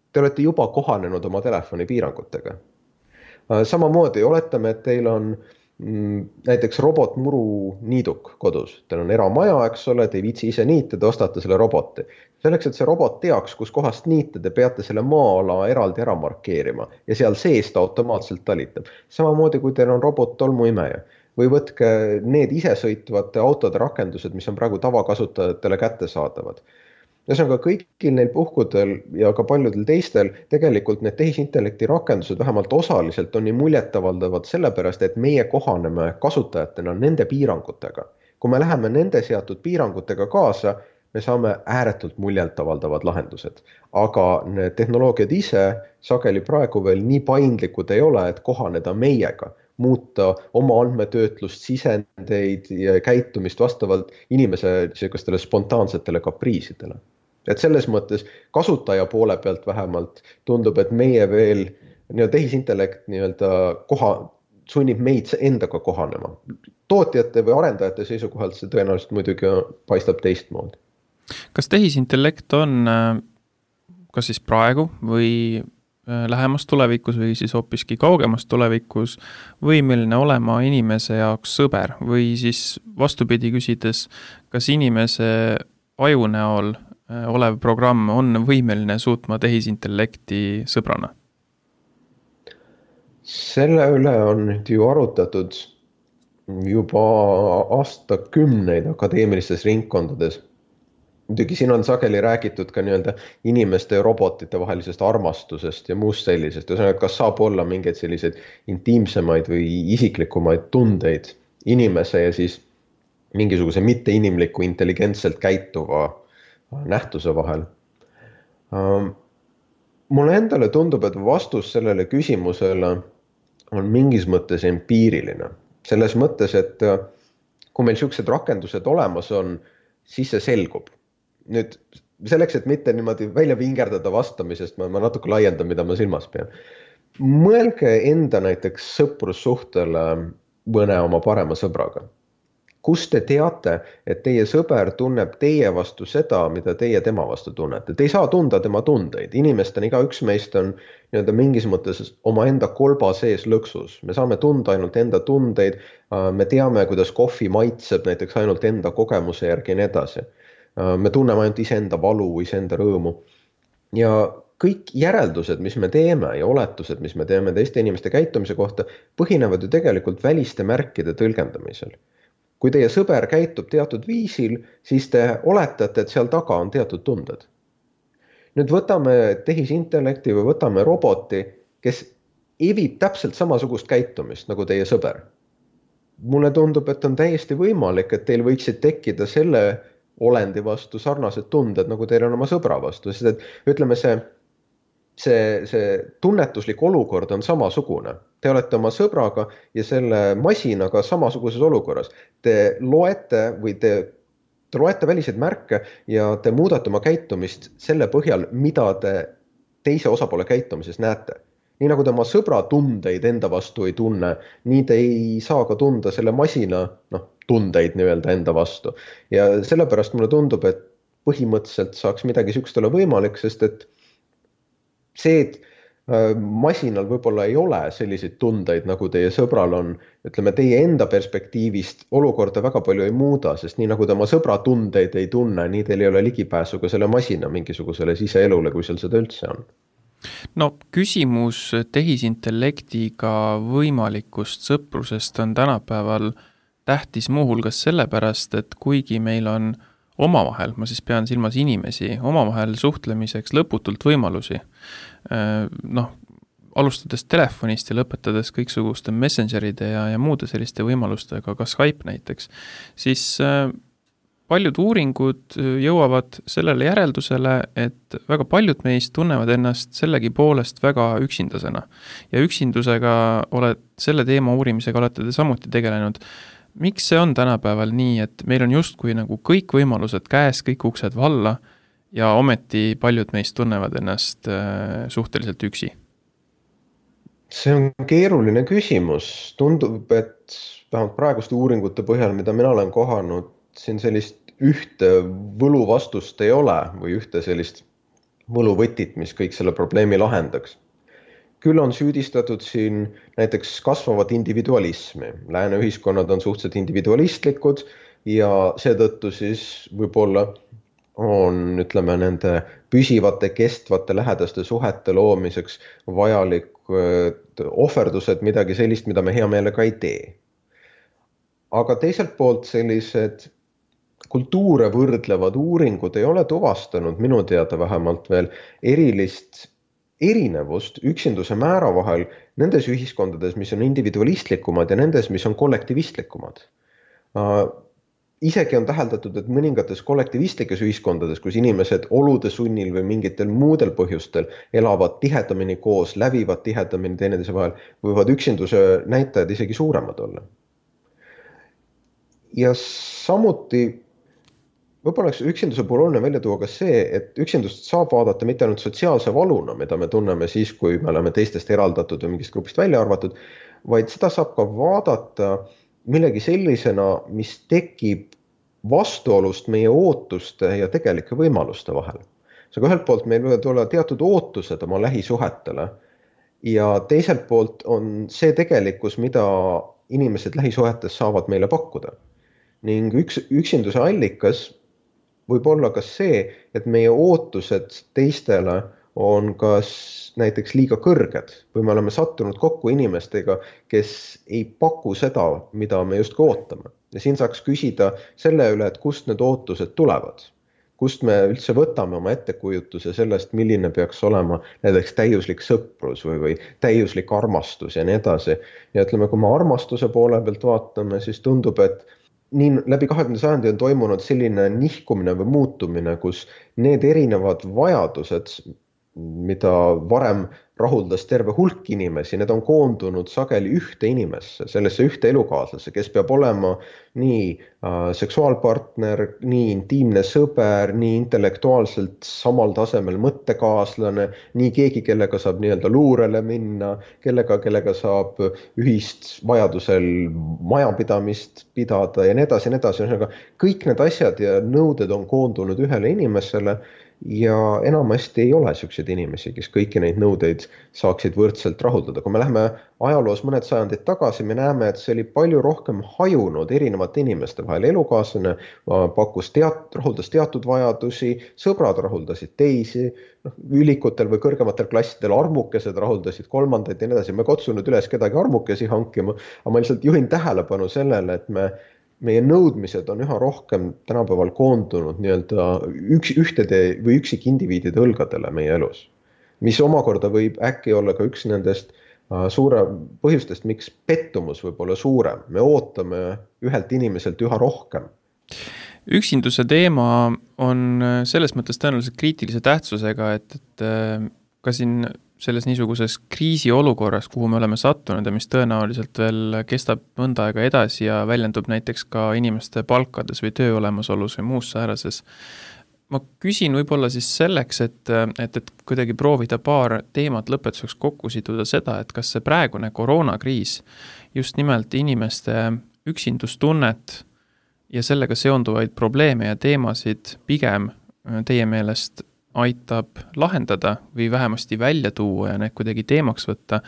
Te olete juba kohanenud oma telefoni piirangutega. Samamoodi oletame, et teil on näiteks robotmuru niiduk kodus. Teil on eramaja, eks ole, te ei viitsi ise niita, te ostate selle roboti. Selleks, et see robot teaks, kus kohast niita, te peate selle maa-ala eraldi ära markeerima ja seal sees ta automaatselt talitab. Samamoodi, kui teil on robot tolmuimeja või võtke need isesõitvate autode rakendused, mis on praegu tavakasutajatele kättesaadavad. Ühesõnaga kõigil neil puhkudel ja ka paljudel teistel tegelikult need tehisintellekti rakendused vähemalt osaliselt on nii muljetavaldavad sellepärast, et meie kohaneme kasutajatena nende piirangutega. Kui me läheme nende seatud piirangutega kaasa, me saame ääretult muljetavaldavad lahendused. Aga need tehnoloogiad ise sageli praegu veel nii paindlikud ei ole, et kohaneda meiega, muuta oma andmetöötlust, sisendeid ja käitumist vastavalt inimese sellistele spontaansetele kapriisidele. Et selles mõttes kasutaja poole pealt vähemalt tundub, et meie veel nii-öelda tehisintellekt nii-öelda koha, sunnib meid endaga kohanema. Tootjate või arendajate seisukohalt see tõenäoliselt muidugi paistab teistmoodi. Kas tehisintellekt on kas siis praegu või lähemas tulevikus või siis hoopiski kaugemas tulevikus võimeline olema inimese jaoks sõber või siis vastupidi küsides, kas inimese aju näol olev programm on võimeline suutma tehisintellekti sõbrana? Selle üle on nüüd ju arutatud juba aastakümneid akadeemilistes ringkondades. Muidugi siin on sageli räägitud ka nii-öelda inimeste ja robotite vahelisest armastusest ja muust sellisest. Ühesõnaga, kas saab olla mingeid selliseid intiimsemaid või isiklikumaid tundeid inimese ja siis mingisuguse mitteinimliku intelligentselt käituva nähtuse vahel. Mulle endale tundub, et vastus sellele küsimusele on mingis mõttes empiiriline. Selles mõttes, et kui meil sellised rakendused olemas on, siis see selgub. Nüüd selleks, et mitte niimoodi välja vingerdada vastamisest, ma, ma natuke laiendan, mida ma silmas pean. Mõelge enda näiteks sõprussuhtele mõne oma parema sõbraga. Kus te teate, et teie sõber tunneb teie vastu seda, mida teie tema vastu tunnete. Te ei saa tunda tema tundeid. Inimestena igaüks meist on nii-öelda mingis mõttes oma enda kolba sees lõksus. Me saame tunda ainult enda tundeid, me teame, kuidas kohvi maitseb näiteks ainult enda kogemuse järgi ja nii edasi. Me tunneme ainult iseenda valu, iseenda rõõmu. Ja kõik järeldused, mis me teeme ja oletused, mis me teeme teiste inimeste käitumise kohta, põhinevad ju tegelikult väliste märkide tõlgendamisel. Kui teie sõber käitub teatud viisil, siis te oletate, et seal taga on teatud tunded. Nüüd võtame tehisintellekti või võtame roboti, kes evib täpselt samasugust käitumist nagu teie sõber. Mulle tundub, et on täiesti võimalik, et teil võiksid tekkida selle olendi vastu sarnased tunded, nagu teil on oma sõbra vastu. Sest et ütleme, see, see, see tunnetuslik olukord on samasugune. Te olete oma sõbraga ja selle masinaga samasuguses olukorras. Te loete või te, te loete väliseid märke ja te muudate oma käitumist selle põhjal, mida te teise osapoole käitumises näete. Nii nagu te oma sõbra tundeid enda vastu ei tunne, nii te ei saa ka tunda selle masina noh, tundeid nii-öelda enda vastu. Ja sellepärast mulle tundub, et põhimõtteliselt saaks midagi sükst olla võimalik, sest et see, et masinal võib-olla ei ole selliseid tundeid, nagu teie sõbral on, ütleme, teie enda perspektiivist olukorda väga palju ei muuda, sest nii nagu te oma sõbra tundeid ei tunne, nii teil ei ole ligipääsu ka selle masina mingisugusele siseelule, kui seal seda üldse on. No küsimus tehisintellektiga võimalikust sõprusest on tänapäeval tähtis muuhulgas sellepärast, et kuigi meil on omavahel, ma siis pean silmas inimesi, omavahel suhtlemiseks lõputult võimalusi, noh, alustades telefonist ja lõpetades kõiksuguste messengeride ja, ja muude selliste võimalustega, ka Skype näiteks, siis paljud uuringud jõuavad sellele järeldusele, et väga paljud meist tunnevad ennast sellegi poolest väga üksindasena. Ja üksindusega oled, selle teema uurimisega olete te samuti tegelenud. Miks see on tänapäeval nii, et meil on justkui nagu kõik võimalused käes, kõik uksed valla ja ometi paljud meist tunnevad ennast suhteliselt üksi? See on keeruline küsimus. Tundub, et vähemalt praeguste uuringute põhjal, mida mina olen kohanud, siin sellist ühte võluvastust ei ole või ühte sellist võluvõtit, mis kõik selle probleemi lahendaks. Küll on süüdistatud siin näiteks kasvavat individualismi. Lääne ühiskonnad on suhteliselt individualistlikud ja seetõttu siis võib-olla on, ütleme, nende püsivate, kestvate, lähedaste suhete loomiseks vajalik ohverdused, midagi sellist, mida me hea meelega ei tee. Aga teiselt poolt sellised kultuure võrdlevad uuringud ei ole tuvastanud minu teada vähemalt veel erilist erinevust üksinduse määra vahel nendes ühiskondades, mis on individualistlikumad ja nendes, mis on kollektivistlikumad. Isegi on täheldatud, et mõningates kollektivistlikes ühiskondades, kus inimesed olude sunnil või mingitel muudel põhjustel elavad tihedamini koos, lävivad tihedamini teineteise vahel, võivad üksinduse näitajad isegi suuremad olla. Ja samuti võib-olla üksinduse puhul oluline välja tuua ka see, et üksindust saab vaadata mitte ainult sotsiaalse valuna, mida me tunneme siis, kui me oleme teistest eraldatud või mingist grupist välja arvatud, vaid seda saab ka vaadata millegi sellisena, mis tekib vastuolust meie ootuste ja tegelike võimaluste vahel. aga ühelt poolt meil võivad olla teatud ootused oma lähisuhetele ja teiselt poolt on see tegelikkus, mida inimesed lähisuhetes saavad meile pakkuda. Ning üks, üksinduse allikas võib olla ka see, et meie ootused teistele on kas näiteks liiga kõrged või me oleme sattunud kokku inimestega, kes ei paku seda, mida me just ootame. Ja siin saaks küsida selle üle, et kust need ootused tulevad. Kust me üldse võtame oma ettekujutuse sellest, milline peaks olema näiteks täiuslik sõprus või, või täiuslik armastus ja nii edasi. Ja ütleme, kui me armastuse poole pealt vaatame, siis tundub, et nii läbi kahekümnenda sajandi on toimunud selline nihkumine või muutumine, kus need erinevad vajadused, mida varem rahuldas terve hulk inimesi, need on koondunud sageli ühte inimesse, sellesse ühte elukaaslase, kes peab olema nii äh, seksuaalpartner, nii intiimne sõber, nii intellektuaalselt samal tasemel mõttekaaslane, nii keegi, kellega saab nii-öelda luurele minna, kellega, kellega saab ühist vajadusel majapidamist pidada ja nii edasi, nii edasi. Kõik need asjad ja nõuded on koondunud ühele inimesele ja enamasti ei ole selliseid inimesi, kes kõiki neid nõudeid saaksid võrdselt rahuldada. Kui me läheme ajaloos mõned sajandid tagasi, me näeme, et see oli palju rohkem hajunud erinevate inimeste vahel. Elukaaslane pakkus teat, rahuldas teatud vajadusi, sõbrad rahuldasid teisi, ülikutel või kõrgematel klassidel armukesed rahuldasid kolmandaid ja nii edasi. Me ei kutsunud üles kedagi armukesi hankima, aga ma lihtsalt juhin tähelepanu sellele, et me meie nõudmised on üha rohkem tänapäeval koondunud nii-öelda üks, ühtede või üksik indiviidide õlgadele meie elus, mis omakorda võib äkki olla ka üks nendest suure põhjustest, miks pettumus võib olla suurem. Me ootame ühelt inimeselt üha rohkem. Üksinduse teema on selles mõttes tõenäoliselt kriitilise tähtsusega, et, et ka siin selles niisuguses kriisiolukorras, kuhu me oleme sattunud ja mis tõenäoliselt veel kestab mõnda aega edasi ja väljendub näiteks ka inimeste palkades või töö olemasolus või muus säärases. Ma küsin võib-olla siis selleks, et, et, et kuidagi proovida paar teemat lõpetuseks kokku siduda seda, et kas see praegune koroonakriis just nimelt inimeste üksindustunnet ja sellega seonduvaid probleeme ja teemasid pigem teie meelest aitab lahendada või vähemasti välja tuua ja need kuidagi teemaks võtta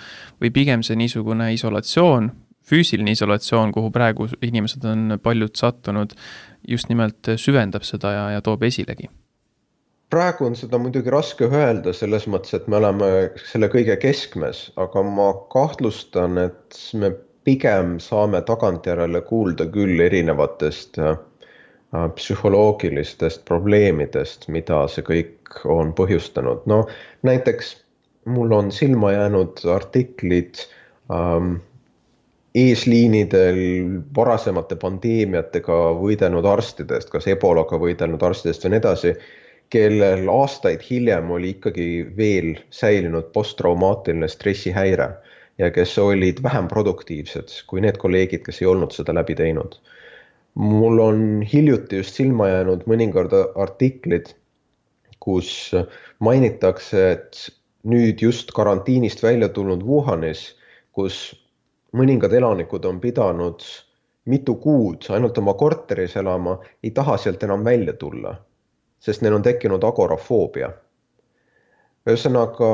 või pigem see niisugune isolatsioon, füüsiline isolatsioon, kuhu praegu inimesed on paljud sattunud, just nimelt süvendab seda ja, ja toob esilegi? Praegu on seda muidugi raske öelda selles mõttes, et me oleme selle kõige keskmes, aga ma kahtlustan, et me pigem saame tagantjärele kuulda küll erinevatest psühholoogilistest probleemidest, mida see kõik on põhjustanud. No näiteks mul on silma jäänud artiklid ähm, eesliinidel varasemate pandeemiatega võidelnud arstidest, kas ebolaga võidelnud arstidest või nii edasi, kellel aastaid hiljem oli ikkagi veel säilinud posttraumaatiline stressihäire ja kes olid vähem produktiivsed kui need kolleegid, kes ei olnud seda läbi teinud. Mul on hiljuti just silma jäänud mõningad artiklid, kus mainitakse, et nüüd just karantiinist välja tulnud Wuhanis, kus mõningad elanikud on pidanud mitu kuud ainult oma korteris elama, ei taha sealt enam välja tulla, sest neil on tekkinud agorafoobia. Ühesõnaga,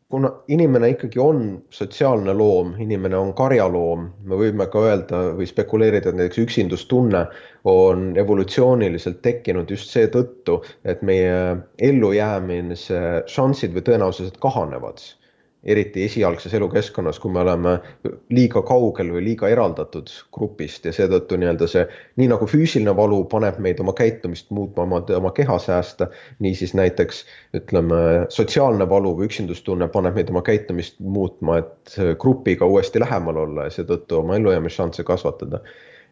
kuna inimene ikkagi on sotsiaalne loom, inimene on karjaloom, me võime ka öelda või spekuleerida, et näiteks üksindustunne on evolutsiooniliselt tekkinud just see tõttu, et meie ellujäämise šansid või tõenäosused kahanevad. Eriti esialgses elukeskkonnas, kui me oleme liiga kaugel või liiga eraldatud grupist ja seetõttu nii-öelda see, nii nagu füüsiline valu paneb meid oma käitumist muutma, oma, oma keha säästa, nii siis näiteks ütleme, sotsiaalne valu või üksindustunne paneb meid oma käitumist muutma, et grupiga uuesti lähemal olla ja seetõttu oma ellujäämisšansse kasvatada.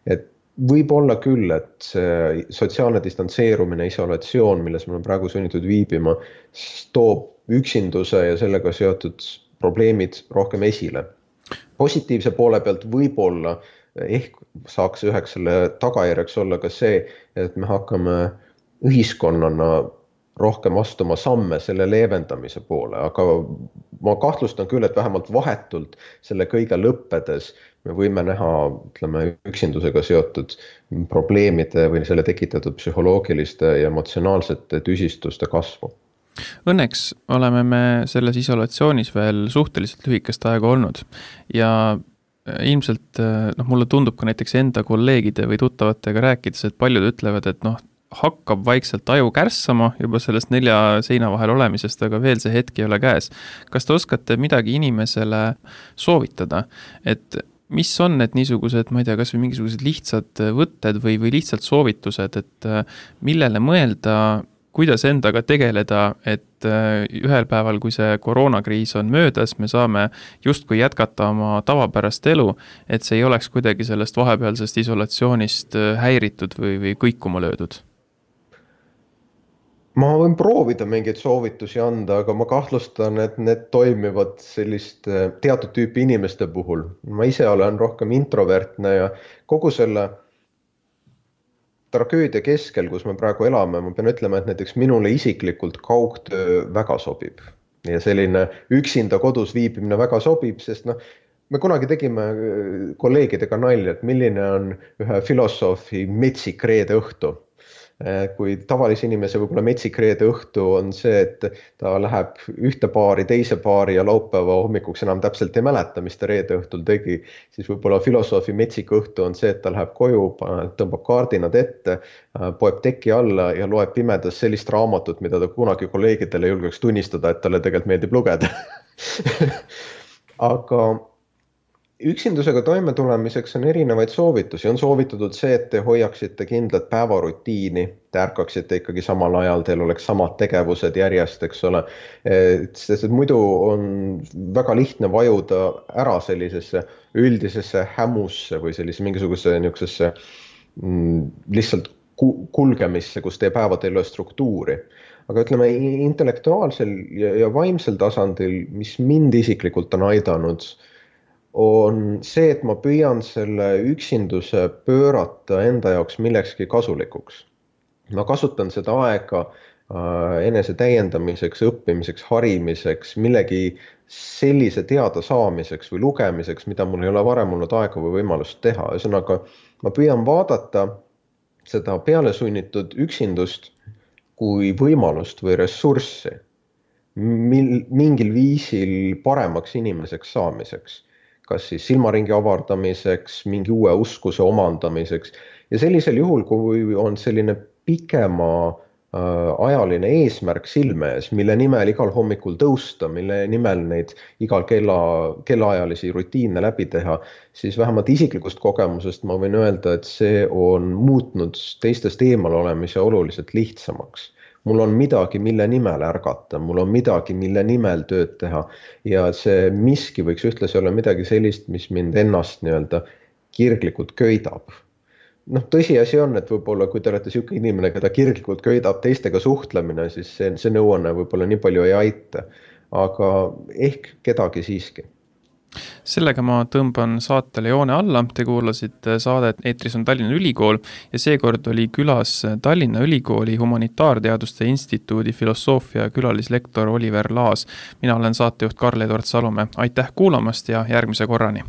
Et võib olla küll, et see sotsiaalne distantseerumine, isolatsioon, milles me oleme praegu sunnitud viibima, toob üksinduse ja sellega seotud probleemid rohkem esile. Positiivse poole pealt võib-olla ehk saaks üheks selle tagajärjeks olla ka see, et me hakkame ühiskonnana rohkem astuma samme selle leevendamise poole, aga ma kahtlustan küll, et vähemalt vahetult selle kõige lõppedes me võime näha, ütleme, üksindusega seotud probleemide või selle tekitatud psühholoogiliste ja emotsionaalsete tüsistuste kasvu. Õnneks oleme me selles isolatsioonis veel suhteliselt lühikest aega olnud ja ilmselt noh, mulle tundub ka näiteks enda kolleegide või tuttavatega rääkides, et paljud ütlevad, et noh, hakkab vaikselt aju kärssama juba sellest nelja seina vahel olemisest, aga veel see hetk ei ole käes. Kas te oskate midagi inimesele soovitada, et mis on need niisugused, ma ei tea, kas või mingisugused lihtsad võtted või, või lihtsalt soovitused, et millele mõelda, kuidas endaga tegeleda, et ühel päeval, kui see koroonakriis on möödas, me saame justkui jätkata oma tavapärast elu, et see ei oleks kuidagi sellest vahepealsest isolatsioonist häiritud või, või kõikuma löödud? Ma võin proovida mingeid soovitusi anda, aga ma kahtlustan, et need toimivad sellist teatud tüüpi inimeste puhul. Ma ise olen rohkem introvertne ja kogu selle tragöödia keskel, kus me praegu elame, ma pean ütlema, et näiteks minule isiklikult kaugtöö väga sobib. Ja selline üksinda kodus viibimine väga sobib, sest noh, me kunagi tegime kolleegidega nalja, et milline on ühe filosoofi metsik reede õhtu. Kui tavalise inimese võib-olla metsik reede õhtu on see, et ta läheb ühte paari, teise paari ja laupäeva hommikuks enam täpselt ei mäleta, mis ta reede õhtul tegi, siis võib-olla filosoofi metsik õhtu on see, et ta läheb koju, tõmbab kaardinad ette, poeb teki alla ja loeb pimedas sellist raamatut, mida ta kunagi kolleegidele julgeks tunnistada, et talle tegelikult meeldib lugeda. Aga üksindusega toime tulemiseks on erinevaid soovitusi. On soovitatud see, et te hoiaksite kindlat päevarutiini, te ärkaksite ikkagi samal ajal, teil oleks samad tegevused järjest, eks ole. Sest muidu on väga lihtne vajuda ära sellisesse üldisesse hämusse või sellise mingisuguse niisugusesse lihtsalt kulgemisse, kus teie päevad ei ole struktuuri. Aga ütleme, intellektuaalsel ja vaimsel tasandil, mis mind isiklikult on aidanud, on see, et ma püüan selle üksinduse pöörata enda jaoks millekski kasulikuks. Ma kasutan seda aega enese täiendamiseks, õppimiseks, harimiseks, millegi sellise teada saamiseks või lugemiseks, mida mul ei ole varem olnud aega või võimalust teha. Ühesõnaga, ma püüan vaadata seda pealesunnitud üksindust kui võimalust või ressurssi mingil viisil paremaks inimeseks saamiseks. Kas siis silmaringi avardamiseks, mingi uue uskuse omandamiseks. Ja sellisel juhul, kui on selline pikema äh, ajaline eesmärk silme ees, mille nimel igal hommikul tõusta, mille nimel neid igal kella, kellaajalisi rutiine läbi teha, siis vähemalt isiklikust kogemusest ma võin öelda, et see on muutnud teistest eemal olemise oluliselt lihtsamaks. Mul on midagi, mille nimel ärgata, mul on midagi, mille nimel tööd teha ja see miski võiks ühtlasi olla midagi sellist, mis mind ennast nii-öelda kirglikult köidab. Noh, tõsiasi on, et võib-olla kui te olete siuke inimene, keda kirglikult köidab teistega suhtlemine, siis see, see nõuanne võib-olla nii palju ei aita, aga ehk kedagi siiski. Sellega ma tõmban saatele joone alla, te kuulasite saadet Eetris on Tallinna Ülikool ja seekord oli külas Tallinna Ülikooli Humanitaarteaduste Instituudi filosoofia külalislektor Oliver Laas. Mina olen saatejuht Karl-Edward Salumäe, aitäh kuulamast ja järgmise korrani!